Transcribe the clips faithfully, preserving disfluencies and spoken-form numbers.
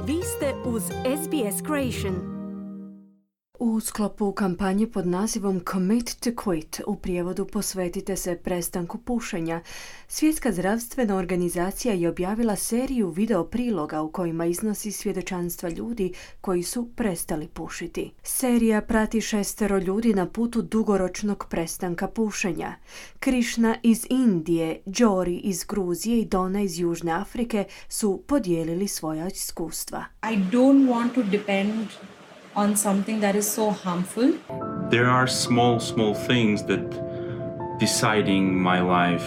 Vi ste uz S B S Creation. U sklopu kampanje pod nazivom Commit to Quit, u prijevodu posvetite se prestanku pušenja, Svjetska zdravstvena organizacija je objavila seriju video priloga u kojima iznosi svjedočanstva ljudi koji su prestali pušiti. Serija prati šestero ljudi na putu dugoročnog prestanka pušenja. Krishna iz Indije, Jory iz Gruzije i Donna iz Južne Afrike su podijelili svoja iskustva. I don't want to depend on something that is so harmful. There are small, small things that deciding my life.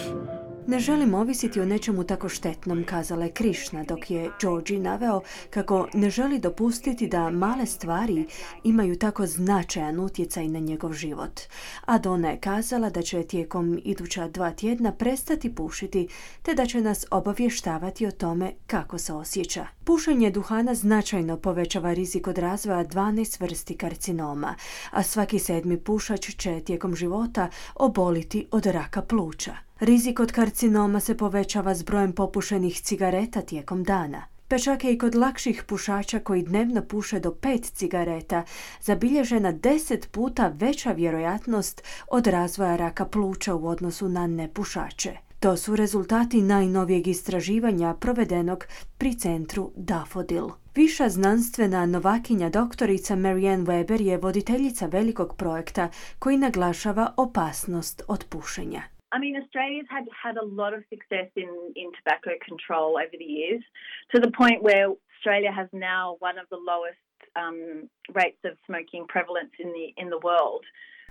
Ne želim ovisiti o nečemu tako štetnom, kazala je Krishna, dok je Georgi naveo kako ne želi dopustiti da male stvari imaju tako značajan utjecaj na njegov život. A Donna je kazala da će tijekom iduća dva tjedna prestati pušiti, te da će nas obavještavati o tome kako se osjeća. Pušenje duhana značajno povećava rizik od razvoja dvanaest vrsti karcinoma, a svaki sedmi pušač će tijekom života oboliti od raka pluća. Rizik od karcinoma se povećava s brojem popušenih cigareta tijekom dana. Pa čak je i kod lakših pušača koji dnevno puše do pet cigareta zabilježena deset puta veća vjerojatnost od razvoja raka pluća u odnosu na nepušače. To su rezultati najnovijeg istraživanja provedenog pri centru Daffodil. Viša znanstvena novakinja doktorica Marianne Weber je voditeljica velikog projekta koji naglašava opasnost od pušenja. I mean, Australia's had, had a lot of success in, in tobacco control over the years, to the point where Australia has now one of the lowest um, rates of smoking prevalence in the, in the world.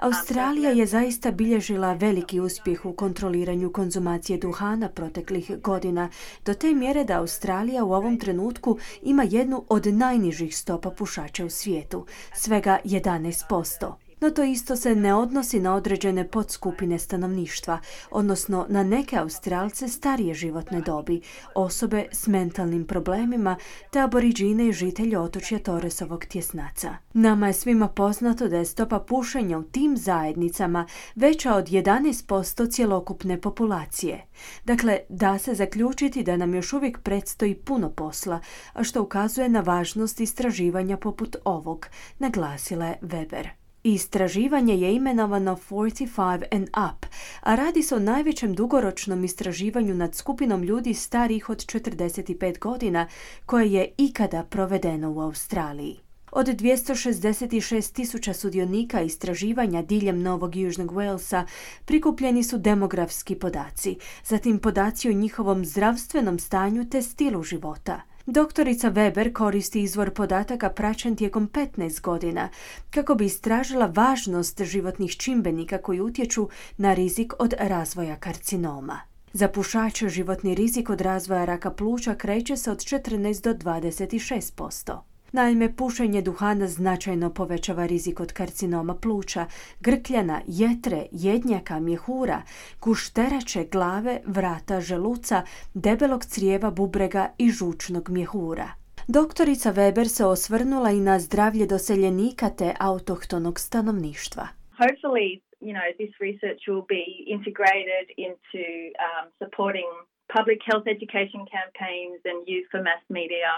Australija je zaista bilježila veliki uspjeh u kontroliranju konzumacije duhana proteklih godina, do te mjere da Australija u ovom trenutku ima jednu od najnižih stopa pušača u svijetu, svega jedanaest posto. No to isto se ne odnosi na određene podskupine stanovništva, odnosno na neke Australce starije životne dobi, osobe s mentalnim problemima te aboriđine i žitelje otočja Torresovog tjesnaca. Nama je svima poznato da je stopa pušenja u tim zajednicama veća od jedanaest posto cjelokupne populacije. Dakle, da se zaključiti da nam još uvijek predstoji puno posla, a što ukazuje na važnost istraživanja poput ovog, naglasila je Weber. Istraživanje je imenovano forty-five and up, a radi se o najvećem dugoročnom istraživanju nad skupinom ljudi starijih od četrdeset pet godina koje je ikada provedeno u Australiji. Od dvjesto šezdeset šest tisuća sudionika istraživanja diljem Novog Južnog Walesa prikupljeni su demografski podaci, zatim podaci o njihovom zdravstvenom stanju te stilu života. Doktorica Weber koristi izvor podataka praćen tijekom petnaest godina kako bi istražila važnost životnih čimbenika koji utječu na rizik od razvoja karcinoma. Za pušače životni rizik od razvoja raka pluća kreće se od četrnaest do dvadeset šest posto. Naime, pušenje duhana značajno povećava rizik od karcinoma pluća, grkljana, jetre, jednjaka, mjehura, gušterače, glave, vrata, želuca, debelog crijeva, bubrega i žučnog mjehura. Doktorica Weber se osvrnula i na zdravlje doseljenika te autohtonog stanovništva. Hopefully, you know, this research will be integrated into um, supporting public health education campaigns and use for mass media.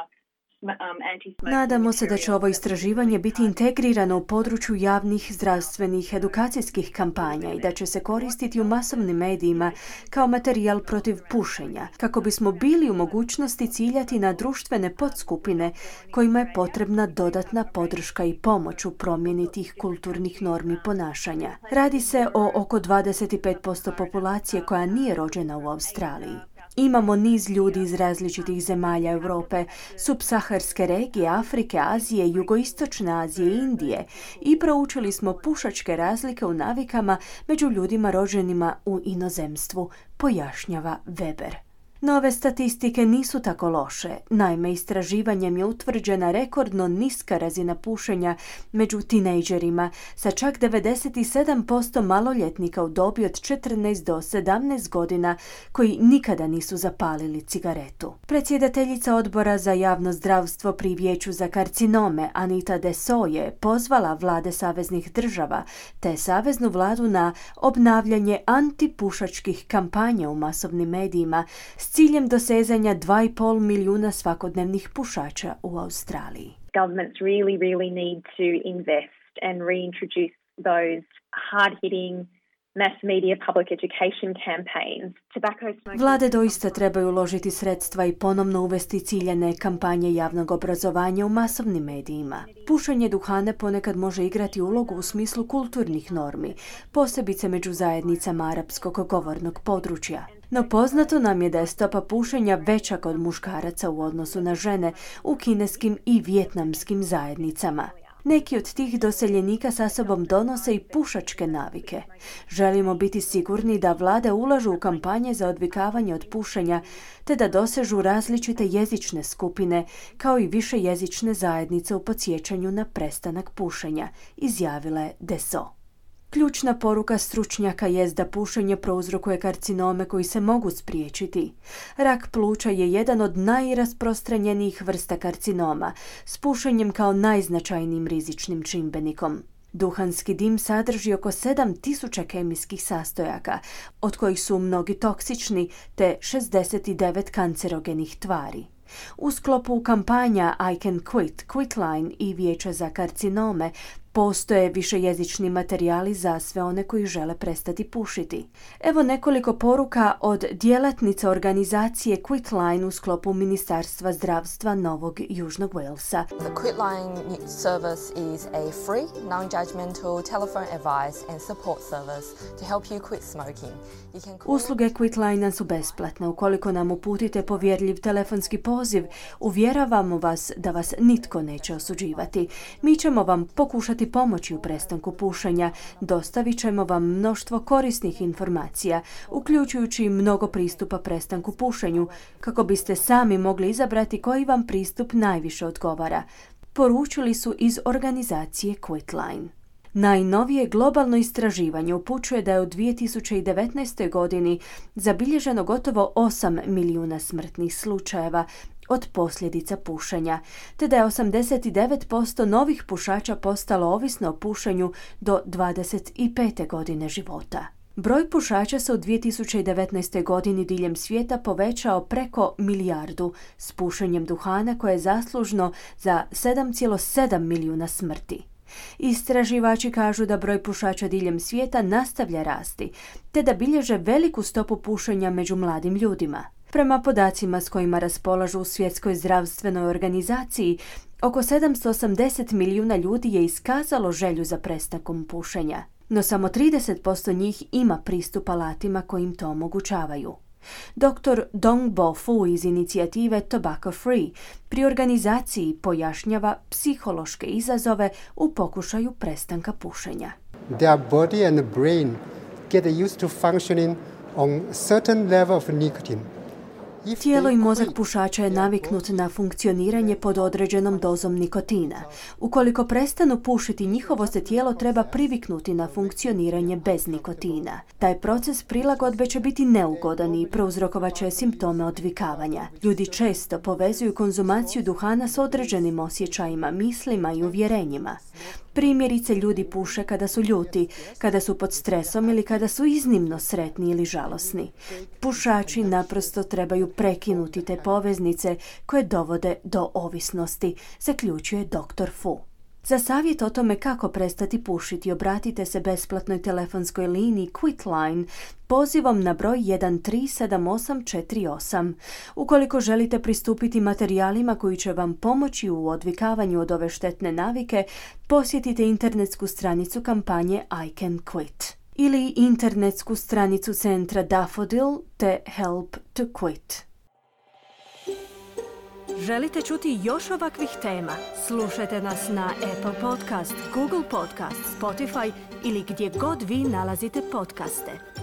Nadamo se da će ovo istraživanje biti integrirano u području javnih zdravstvenih edukacijskih kampanja i da će se koristiti u masovnim medijima kao materijal protiv pušenja, kako bismo bili u mogućnosti ciljati na društvene podskupine kojima je potrebna dodatna podrška i pomoć u promjeni tih kulturnih normi ponašanja. Radi se o oko dvadeset pet posto populacije koja nije rođena u Australiji. Imamo niz ljudi iz različitih zemalja Europe, subsaharske regije, Afrike, Azije, Jugoistočne Azije i Indije i proučili smo pušačke razlike u navikama među ljudima rođenima u inozemstvu, pojašnjava Weber. Nove statistike nisu tako loše. Naime, istraživanjem je utvrđena rekordno niska razina pušenja među tinejdžerima sa čak devedeset sedam posto maloljetnika u dobi od četrnaest do sedamnaest godina koji nikada nisu zapalili cigaretu. Predsjedateljica odbora za javno zdravstvo pri Vijeću za karcinome Anita Dessau je pozvala vlade saveznih država te saveznu vladu na obnavljanje antipušačkih kampanja u masovnim medijima s ciljem dosezanja dva i pol milijuna svakodnevnih pušača u Australiji. Governments really, really need to invest and reintroduce those hard-hitting mass media public education campaigns. Tobacco smoking... Vlade doista trebaju uložiti sredstva i ponovno uvesti ciljane kampanje javnog obrazovanja u masovnim medijima. Pušenje duhana ponekad može igrati ulogu u smislu kulturnih normi, posebice među zajednicama arapskog govornog područja. No poznato nam je da je stopa pušenja veća kod muškaraca u odnosu na žene u kineskim i vijetnamskim zajednicama. Neki od tih doseljenika sa sobom donose i pušačke navike. Želimo biti sigurni da vlade ulažu u kampanje za odvikavanje od pušenja, te da dosežu različite jezične skupine, kao i više jezične zajednice u podsjećanju na prestanak pušenja, izjavila je Deso. Ključna poruka stručnjaka jest da pušenje prouzrokuje karcinome koji se mogu spriječiti. Rak pluća je jedan od najrasprostranjenijih vrsta karcinoma, s pušenjem kao najznačajnijim rizičnim čimbenikom. Duhanski dim sadrži oko sedam tisuća kemijskih sastojaka, od kojih su mnogi toksični, te šezdeset devet kancerogenih tvari. U sklopu kampanja I Can Quit, Quitline i Vijeća za karcinome postoje višejezični materijali za sve one koji žele prestati pušiti. Evo nekoliko poruka od djelatnica organizacije Quitline u sklopu Ministarstva zdravstva Novog Južnog Walesa. The Quitline service is a free, non-judgmental telephone advice and support service to help you quit smoking. You can call... Usluge Quitline su besplatne. Ukoliko nam uputite povjerljiv telefonski poziv, uvjeravamo vas da vas nitko neće osuđivati. Mi ćemo vam pokušati pomoći u prestanku pušenja, dostavit ćemo vam mnoštvo korisnih informacija, uključujući mnogo pristupa prestanku pušenju, kako biste sami mogli izabrati koji vam pristup najviše odgovara, poručili su iz organizacije Quitline. Najnovije globalno istraživanje upućuje da je u dvije tisuće devetnaestoj. godini zabilježeno gotovo osam milijuna smrtnih slučajeva od posljedica pušenja, te da je osamdeset devet posto novih pušača postalo ovisno o pušenju do dvadeset pete godine života. Broj pušača se u dvije tisuće devetnaestoj. godini diljem svijeta povećao preko milijardu s pušenjem duhana koje je zaslužno za sedam zarez sedam milijuna smrti. Istraživači kažu da broj pušača diljem svijeta nastavlja rasti, te da bilježe veliku stopu pušenja među mladim ljudima. Prema podacima s kojima raspolažu u Svjetskoj zdravstvenoj organizaciji, oko sedamsto osamdeset milijuna ljudi je iskazalo želju za prestankom pušenja, no samo trideset posto njih ima pristup alatima koji im to omogućavaju. doktor Dong Bo Fu iz inicijative Tobacco Free pri organizaciji pojašnjava psihološke izazove u pokušaju prestanka pušenja. Their body and brain get used to functioning on certain level of nicotine. Tijelo i mozak pušača je naviknut na funkcioniranje pod određenom dozom nikotina. Ukoliko prestanu pušiti, njihovo se tijelo treba priviknuti na funkcioniranje bez nikotina. Taj proces prilagodbe će biti neugodan i prouzrokovat će simptome odvikavanja. Ljudi često povezuju konzumaciju duhana s određenim osjećajima, mislima i uvjerenjima. Primjerice, ljudi puše kada su ljuti, kada su pod stresom ili kada su iznimno sretni ili žalosni. Pušači naprosto trebaju prekinuti te poveznice koje dovode do ovisnosti, zaključuje doktor Fu. Za savjet o tome kako prestati pušiti, obratite se besplatnoj telefonskoj liniji Quitline pozivom na broj jedan tri sedam osam četiri osam. Ukoliko želite pristupiti materijalima koji će vam pomoći u odvikavanju od ove štetne navike, posjetite internetsku stranicu kampanje I Can Quit ili internetsku stranicu centra Daffodil te Help to Quit. Želite čuti još ovakvih tema? Slušajte nas na Apple Podcast, Google Podcast, Spotify ili gdje god vi nalazite podcaste.